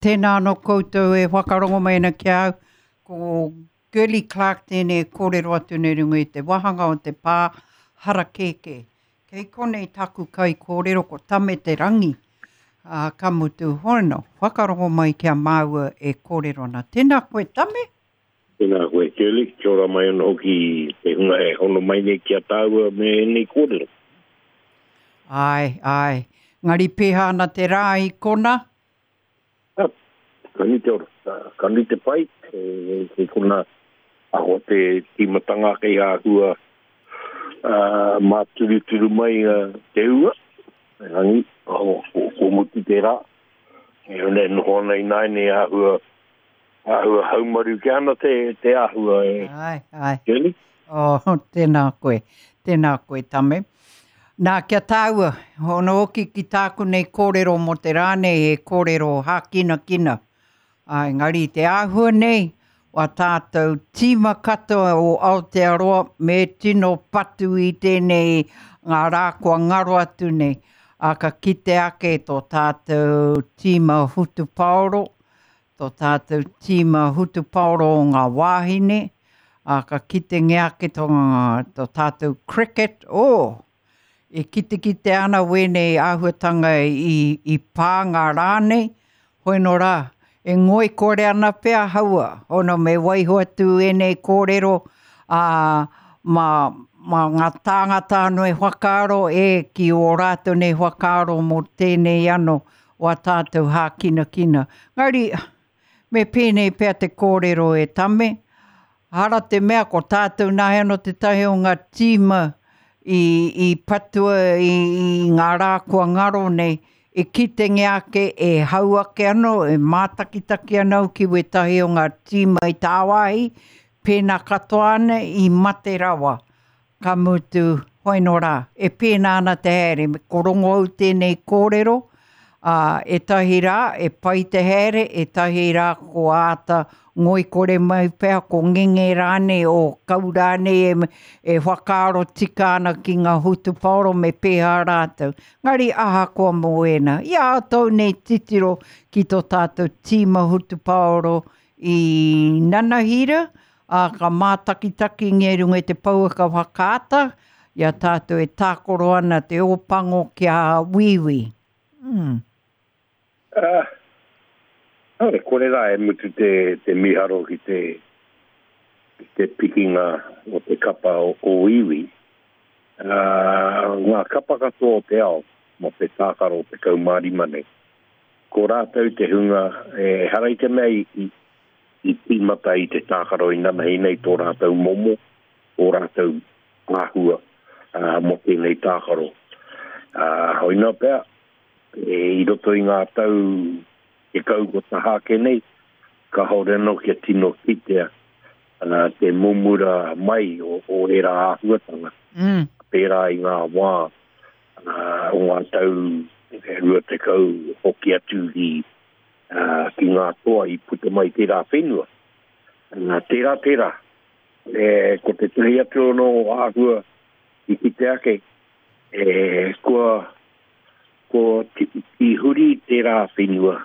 Tēnā anō koutou e whakarongo mai ana ki a au, ko Girlie Clarke tēnei e kōrero atu nei runga i te wāhanga o te pā harakēkē. Kei konei taku kaikōrero ko Tame Te Rangi, ā, ka mutu, hono, whakarongo mai ki a māua e kōrero ana. Tēnā koe Tame. Tēnā koe Girlie, kia ora mai anō hoki te hunga e hono mai nei ki a tāua me ēnei kōrero. Āe, āe. Engari pēhā ana te rā i kona? Ka nui te ora, ka nui te pai, kei kona aho te tīmatanga kei āhua māturuturu mai te ua, erangi, kua mutu tērā, e huna e noho ana ināianei āhua, āhua haumaru kē ana te, te āhua e. Āe, āe. Jenny? Oh, tēnā koe, tēnā koe Tame. Nā, kia tāua, hono hoki ki tāku nei kōrero mō te rā nei, he kōrero hākinakina. Ā, engari te āhua nei, wā tātou tīma katoa o Aotearoa me tino patu i tēnei ngā rā kua ngaro atu nei. Ā, ka kite ake tō tātou tīma whutupaoro, tō tātou tīma hutupaoro o ngā wāhine, ā, ka kitengia ake tō, tō tātou cricket, oh! E kitekite ana wēnei āhuatanga i, i pā ngā rā nei, hoi nō rā, e ngoikore ana pea haua, hono me waiho atu ēnei kōrero, ā, mā, mā ngā tāngata anō e whakaaro, e, ki ō rātou nei whakaaro mō tēnei anō, o a tātou hākinakina. Engari, me pēnei pea te kōrero e Tame, hara te mea ko tātou nāi anō tētahi o ngā tīma i, i patua i, i ngā rā kua ngaro nei, e kitengia ake, e hau ake anō, e mātakitaki ana au ki wētahi o ngā tīma i tāwāhi, pēnā katoa ana i mate rawa. Ka mutu, hoino rā, e pēnā ana te haere, me ko rongo au tēnei kōrero, ā, ētahi rā e pai te haere, ētahi rā ko āta ngoikore mai pea, ko ngenge rānei, o kau rānei e, e whakaaro tika ana ki ngā hutupaoro me pēhā rātou. Engari ahakoa mō ēnā, i a tou nei titiro ki tō tātou tīma hutupaoro i nanahira, ā, ka mātakitakingia i runga i te pouaka whakaata i a tātou e tākaro ana te Ōpango ki a Wīwī. Mm. Ā, kāore kore rā e mutu te, te mīharo ki te, ki te pikinga o te kapa o, o Wīwī. Ā, ngā kapa katoa o te ao mō te tākaro 15 nei. Ko rātou te hunga, ehara i te mea i, i, i tīmata i te tākaro inanahi nei tō rātou momo, ō rātou āhua mō tēnei tākaro. Hoina pea, i roto i ngā tau 10 kua taha ake nei, kāore anō kia tino kitea te mumura mai o ērā āhuatanga, pērā i ngā wā o ngā tau 20 hoki atu ki ki ngā toa i puta mai tērā whenua. Tērā, tērā. E, ko tētahi atu anō āhua i kite ake, e, kua, kua i huri tērā whenua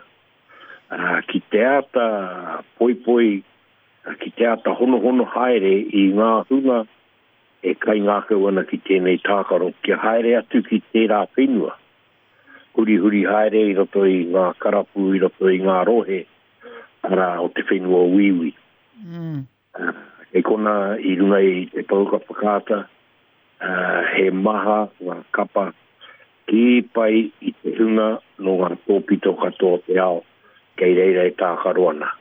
ki te āta poipoi, ki te āta honohono haere i ngā hunga e kaingākau ana ki tēnei tākaro kia haere atu ki tērā whenua. Hurihuri haere i roto i ngā karapu, i roto i ngā rohe, arā, o te whenua o Wīwī. Mm. Kei kona i runga i te pouaka whakaata, he maha ngā kapa kī pai i te hunga nō ngā tōpito katoa o te ao kei reira e tākaro ana.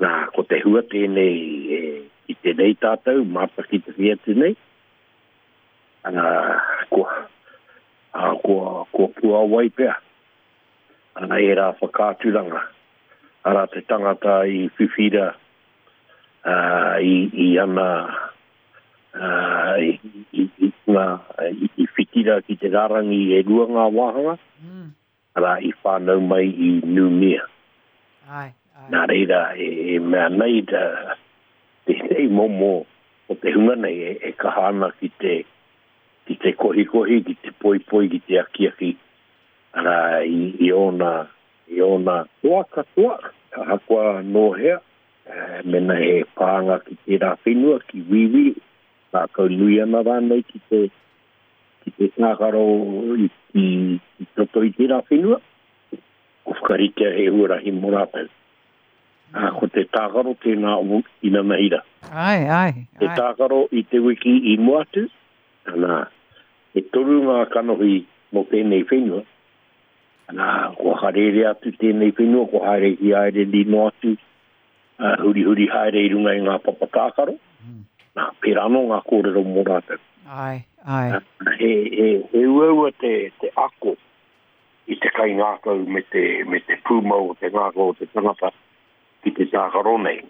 Nā, ko te hua tēnei e, i tēnei tātou, mātakitaki atu nei, ā, kua, ā, kua, kua puāwai pea ērā whakaaturanga, arā te tangata i whiwhira ā, i, i ana, ā, i, i, i, ngā, i, i whitira ki te rārangi e rua ngā wāhanga, mm. arā, i whānau mai i Nūmea. Ai, ai. Nā reira, e, e mea nei, tēnei momo o te hunga nei e, e kaha ana ki te, ki te kohikohi, ki te poipoi, ki te akiaki, arā, i, i ōna. i ōna toa katoa, ahakoa nō hea, mēnā he pānga ki tērā whenua, ki Wīwī, ngākau nui ana rānei ki te, ki te tākaro i, i, i roto i tērā whenua, ko whakaritea he huarahi mō rātou. Ā, ko te tākaro tēnā o inanahira. Āe, āe, āe. Te tākaro i te wiki i mua atu, ana, e toru ngā kanohi mō tēnei whenua, ana, kua harerea atu tēnei whenua, kua haere ki Aireni noa atu, ā, hurihuri haere i runga i ngā papa tākaro, mm. nā, pērā anō ngā kōrero mō rātou. Āe, āe. He, he, he uaua te, te ako i te kaingākau me te, me te pūmau o te ngākau o te tangata ki te tākaro nei.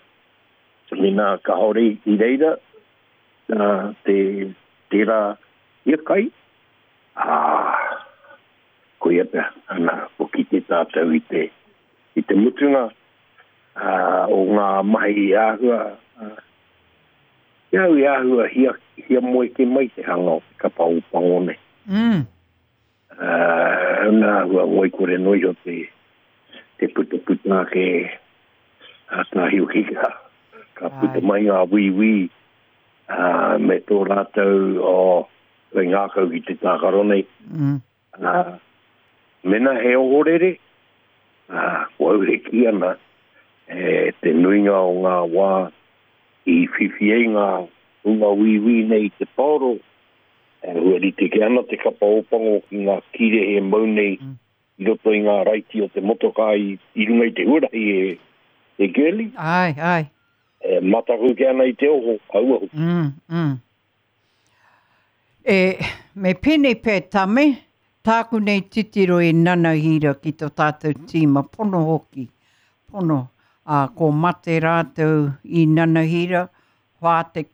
Mēnā kāore i reira uh, te, tērā hiakai, ā, koia pea, ana, ko kite tātou i te, i te mutunga uh, o ngā mahi āhua, uh, ki au i āhua hia, hiamoe kē mai te hanga o te kapa Ōpango nei. Mm. Ā, nā āhua ngoikore noa iho te, te putaputa ake a Tāhioki ka, ka puta mai ngā wīwī, ā, me tō rātou o oh, ngākau ki te tākaro nei. Mm. Ā, mena he ohorere, ā, ko au e kī ana, e, te nuinga o ngā wā i whiwhi ai ngā hunga wīwī nei i te paoro, E hua rite kē ana te kapa Ōpango ki ngā kīrehe e mau nei i roto i ngā raiti o te motokā i, i runga i te huarahi e, e Girlie. Āe, āe. E mataku kē ana i te oho, aua hoki. Mm, mm. E, me pēnei pea Tame, tāku nei titiro i nanahira ki tō tātou tīma, pono hoki, pono, ā, ko mate rātou i nanahira, 40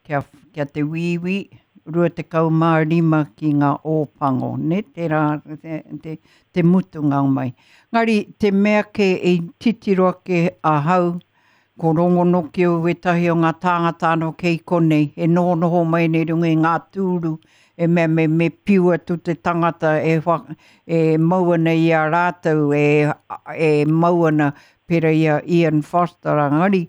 kia, kia te wīwī, 25 ki ngā Ōpango, nē, tērā te, te, te mutunga mai. Ngari, te mea kē i titiro ake ahau, ko rongonoki au wētahi o ngā tāngata anō kei konei, e nohonoho mai nei runga i ngā tūru, e mea me, me piu atu te tangata e, wha, e mau ana i a rātou, e, e mau ana pērā i a Ian Foster, engari,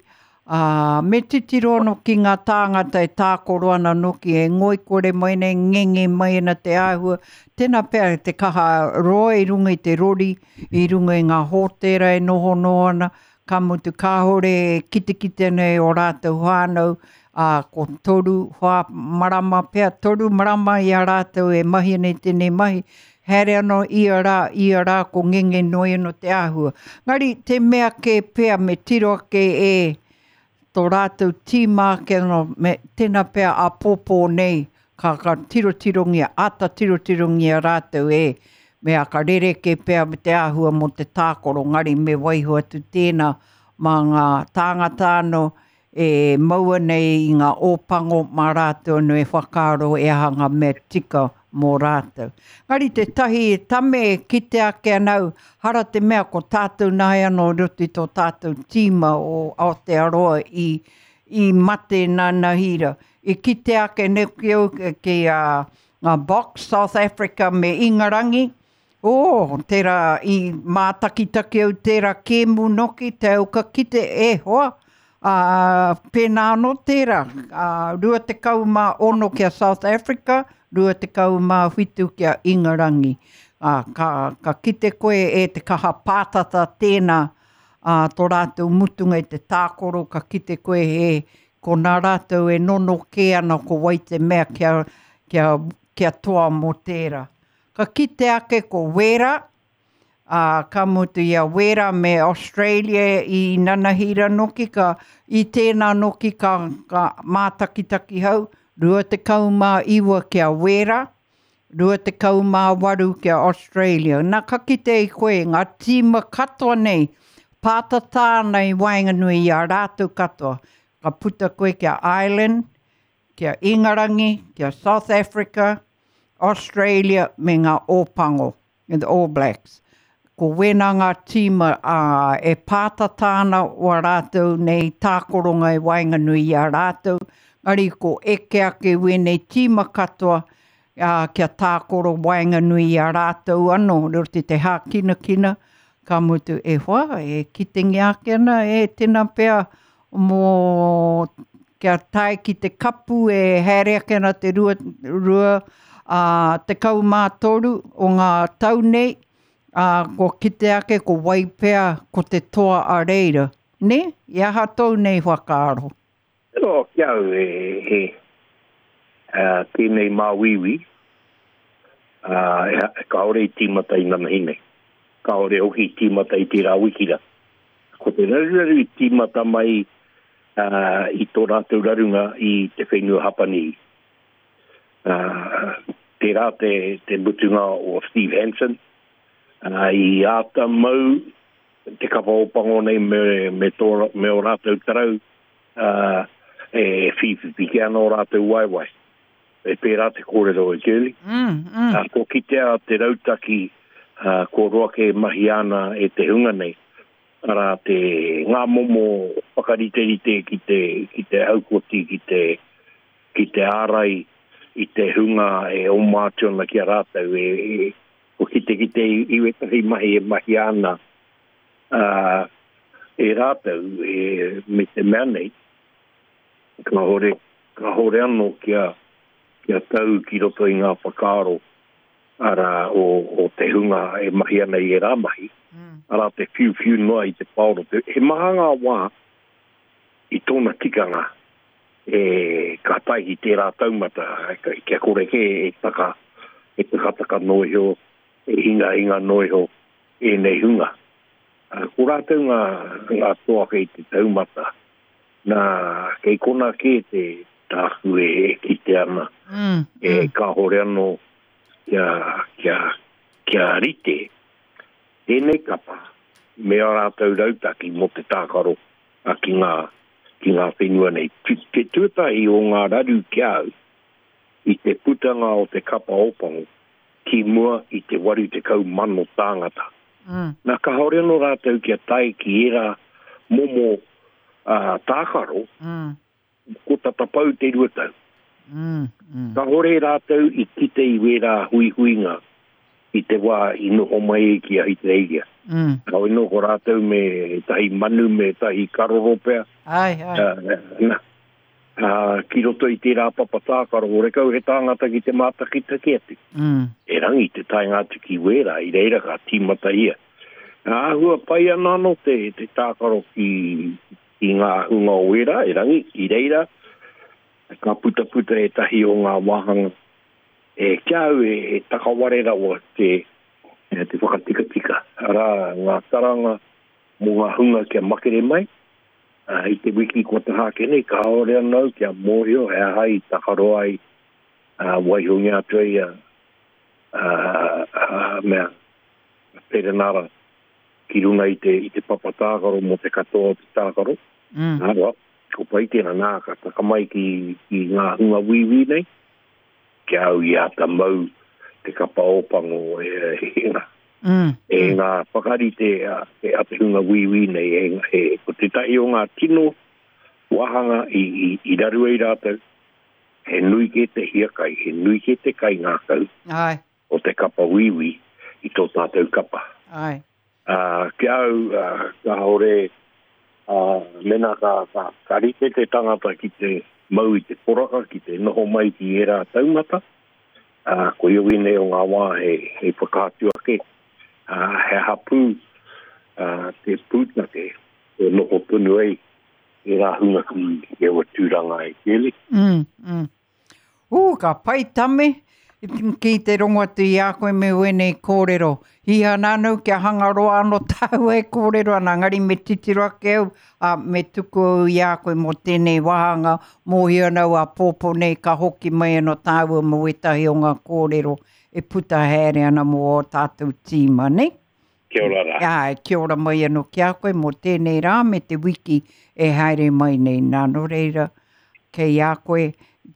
Ā, me titiro anō ki ngā tāngata e tākoro ana noki, e ngoikore mai nei, ngenge mai ana te āhua, tēnā pea te kaha roa i runga i te rori, i runga i ngā hōtēra e nohonoho ana, ka mutu kāore e kitekite ana e ō rātou whānau, ā, ko toru, whā marama pea, toru marama i a rātou e mahi ana i tēnei mahi, Haere ano ia ra, ia ra ko ngenge noi ano te ahua. Ngari te mea ke pea me tiro ake e to ratou tima ake ano me tena pea apopo nei ka ka tirotirongia ata tirotirongia ratou e me a ka rereke pea me te ahua mo te tākoro ngari me waiho atu tena ma nga tāngata ano e maua nei i ngā Ōpango mā rātou anō e whakaaro e aha ngā mea tika mō rātou. Engari tētahi tame e kite ake ana au, hara te mea ko tātou nāi anō i roto i tō tātou tīma o Aotearoa i, i mate nanahira. I kite ake nei ki au ki a ngā Boks, South Africa me Ingarangi, Oh, tērā i mātakitaki au tērā kēmu noki, te au ka kite, e hoa, ā, pēnā anō tērā, ā, 26 ki a South Africa, 27 ki a Ingarangi. Ā, ka, ka kite koe e te kaha pātata tēnā, ā, tō rātou mutunga i te tākoro, ka kite koe e, ko nā rātou e nono kē ana ko wai te mea kia, kia, kia toa mō tērā. Ka kite ake ko Wēra, ā, ka mutu i a Wēra me Australia i nanahira noki, ka, i tēnā noki ka, ka mātakitaki hau, 29 ki a Wēra, 28 ki a Australia. Nā, ka kite i koe, ngā tīma katoa nei, pātata ana i waenganui i a rātou katoa. Ka puta koe ki a Ireland, ki a Ingarangi, ki a South Africa, Australia me ngā Ōpango, me the All Blacks. Ko wēnā ngā tīma ā, e pātata ana wā rātou nei tākoronga i waenganui i a rātou, engari ko eke ake wēnei tīma katoa, ā, kia tākoro waenganui i a rātou anō, i roto i te hākinakina, Ka mutu, e hoa, e kitengia ake ana e tena pea mō kia tae ki te kapu e haere ake ana te 23 o ngā tau nei, ā, kua kite ake ko wai pea ko te toa a reira. Nē? I aha tōu nei whakaaro? Tino ki au e, e, tēnei māuiui, ā, kāore i tīmata i nanahi nei. Kāore hoki i tīmata i tērā wiki rā. Ko te raruraru i tīmata mai i tō rātou rarunga i te whenua Hapanihi. Tērā te, te mutunga o Steve Hansen, i āta mau te kapa Ōpango nei me, me, tō, me ō rātou tarau, ā, e whīwhiwhi kē ana ō rātou waewae. E pērā te kōrero e Girlie. Mm, mm. Ā, kua kitea te rautaki, ā, kua roa kē e mahia ana e te hunga nei, arā, te, ngā momo whakariterite ki te, ki te haukoti, ki te, ki te ārai i te hunga e oma atu ana ki a rātou, e, e, kua kitekite i wētahi mahi e mahia ana, ā, e rātou, e, me te mea nei, kāore, kāore anō kia, kia tau ki roto i ngā whakaaro, arā, o, o te hunga e mahi ana i ērā mahi, mm. arā, te whiuwhiu noa i te paoro. He maha ngā wā i tōna tikanga e ka tae ki tērā taumata, kia kore kē e taka, e takataka noa iho, e hingahinga noa iho ēnei hunga. Ko rātou ngā, ngā toa kei te taumata. Nā, kei konā kē te tāku e, e kite ana, mm, e mm. kāhore anō kia, kia, kia rite tēnei kapa me ā rātou rautaki mō te tākaro a ki ngā, ki ngā whenua nei. Te tuatahi o ngā raru ki a au i te putanga o te kapa Ōpango ki mua i te 80,000 tāngata. Mm. Nā, kāore anō rātou kia tae ki ērā momo uh, tākaro, mm. ko tata pau te rua tau. Mm, mm. Kāore rātou i kite i wērā huihuinga i te wā i noho mai ai ki Ahitereiria. Mm. Heoi nō ko rātou me tahi manu, me tahi karoro pea. Ai, ai. Uh, na, ā, ki roto i tērā papa tākaro, horekau he tāngata ki te mātakitaki atu. Mm. Erangi te taenga atu ki wērā, i reira ka tīmata ia. Āhua pai ana anō te, te tākaro ki, ki ngā hunga o wērā, erangi, i reira ka putaputa ētahi o ngā wāhanga e ki a au e, e takaware rawa te, te whakatikatika. Arā, ngā taranga mō ngā hunga kia makere mai, Ā, i te wiki kua taha ake nei, kāore anō au kia mōhio he aha i takaro ai, ā, waihongia atu ai a, a, a, mea, a Perenara ki runga i te, i te papa tākaro mō te katoa o te tākaro. Mm. Nā, roa, ko pai tēnā, nā, ka taka mai ki, ki ngā hunga wīwī nei, ki a au i āta mau te kapa Ōpango e, e, ngā, Mm, e mm. ngā whakarite a, e, a te hunga wīwī nei, e, e, ko tētahi o ngā tino wāhanga i, i, i raru ai rātou, he nui kē te hiakai, he nui kē te kaingākau Ai. o te kapa wīwī i tō tātou kapa. Ai. Ā, ki a au, ā, kāore, ā, mēnā ka, ka, ka rite te tangata ki te mau i te poraka, ki te noho mai ki ērā taumata, ā, koia wēnei o ngā wā hei, hei whakaatu ake, ā, he aha pū, ā, te pūtake e noho tonu ai ērā hunga ki, ki aua tūranga e Kelly. Mm, mm. Ū, ka pai Tame, ki te rongo atu i a koe me wēnei kōrero. Hiha ana au kia hanga roa anō tāua e kōrero ana, engari me titiro ake au, ā, me tuku au i a koe mō tēnei wāhanga, mōhio ana au āpōpō nei ka hoki mai anō tāua mō wētahi o ngā kōrero e puta haere ana mō ō tātou tīma, nei? Kia ora rā. Āe, kia ora mai anō ki a koe mō tēnei rā me te wiki e haere mai nei. Nā, nō reira, kei a koe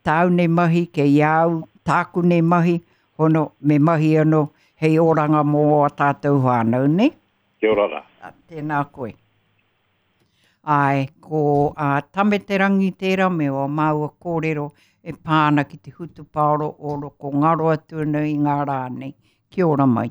tāu nei mahi, kei a au tāku nei mahi, hono, me mahi anō hei oranga mō ō tātou whānau, nē? Kia ora rā. Tēnā koe. Āe, ko a Tame Te Rangi tērā me wā māua kōrero e pā ana ki te hutupaoro o roko ngaro atu ana i ngā rā nei. Kia ora mai.